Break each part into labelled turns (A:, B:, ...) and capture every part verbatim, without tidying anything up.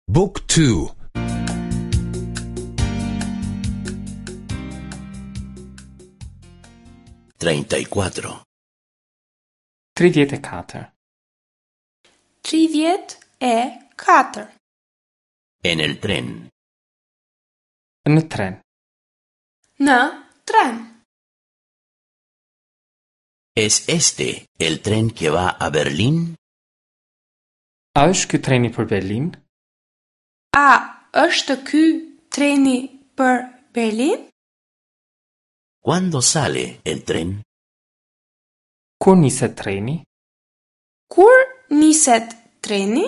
A: Book two.
B: Treinta y cuatro.
C: Tridhjetë e katër.
D: Tridhjetë e katër.
B: En el tren.
C: Në tren.
D: Në tren.
B: ¿Es este el tren que va a Berlín?
C: A është ky treni për Berlin?
D: A është ky treni për Berlin?
B: ¿Cuándo sale el tren?
C: Kur niset treni?
D: Kur niset treni?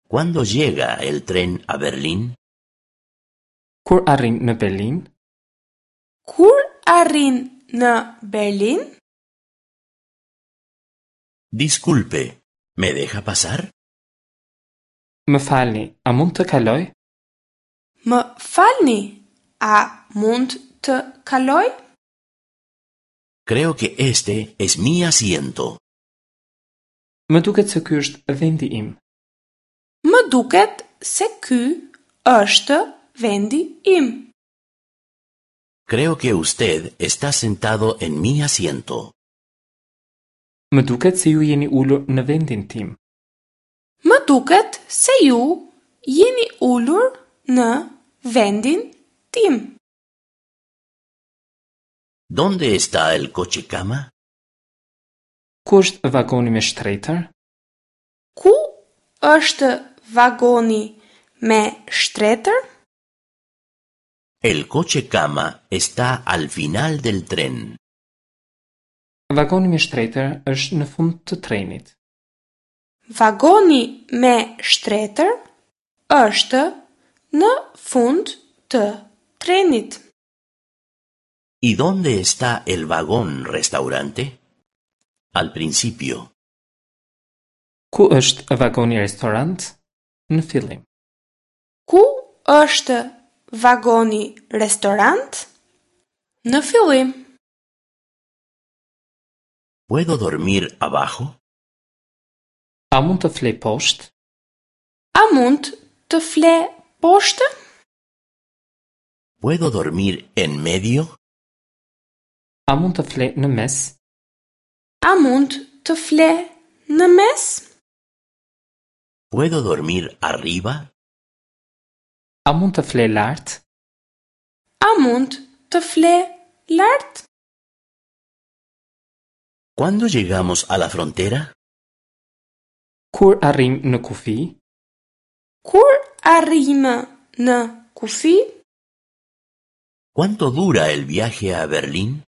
B: ¿Cuándo llega el tren a Berlín?
C: Kur arrin në Berlin?
D: Kur arrin në Berlin?
B: Disculpe, ¿me deja pasar?
C: Më falni, a mund të kaloj?
D: Më falni, a mund të kaloj?
B: Creo que este es mi asiento.
C: Më duket se ky është vendi im.
D: Më duket se ky është vendi im.
B: Creo que usted está sentado en mi asiento.
C: Më duket se ju jeni ulur në vendin tim.
D: Më duket se ju jeni ulur në vendin tim.
B: ¿Dónde está el coche cama?
C: Ku është vagoni me shtretër?
D: Ku është vagoni me shtretër?
B: El coche cama está al final del tren.
C: Vagoni me shtretër është në fund të trenit.
D: Vagoni me shtretër është në fund të trenit.
B: ¿Y dónde está el vagón restaurante? Al principio.
C: Ku është vagoni restorant? Në fillim.
D: Ku është vagoni restorant? Në fillim.
B: ¿Puedo dormir abajo?
C: A mund të flej poshtë?
D: A mund të fle poshtë?
B: ¿Puedo dormir en medio?
C: A mund të fle në mes?
D: A mund të fle në mes?
B: ¿Puedo dormir arriba?
C: A mund të fle lart?
D: A mund të fle lart?
B: ¿Cuándo llegamos a la frontera?
C: Kur arrim në kufi?
D: Kur arrijmë në kufi?
B: ¿Cuánto dura el viaje a Berlín?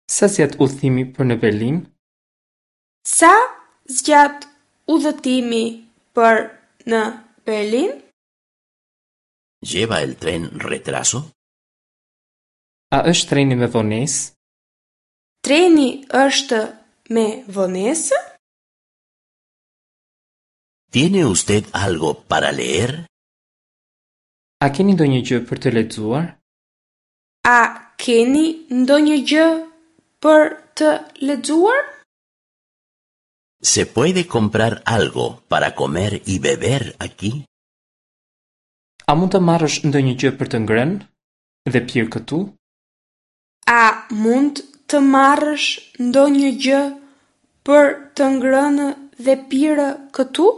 C: Sa zgjat udhëtimi për në Berlin?
D: Sa zgjat udhëtimi për në Berlin?
B: ¿Lleva el tren retraso?
C: A është treni me vonesë?
D: Treni është me vonesë?
B: ¿Tiene usted algo para leer?
C: A keni ndonjë gjë për të lexuar?
D: A keni ndonjë gjë për të lexuar?
B: ¿Se puede comprar algo para comer y beber aquí?
C: A mund të marrësh ndonjë gjë për të ngrënë dhe pirë këtu?
D: A mund të marrësh ndonjë gjë për të ngrënë dhe pirë këtu?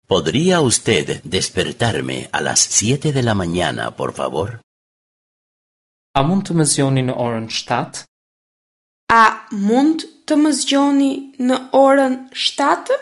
B: ¿Podría usted despertarme a las siete de la mañana, por favor?
C: A mund të më zgjoni në orën shtatë?
D: A mund të më zgjoni në orën shtatë?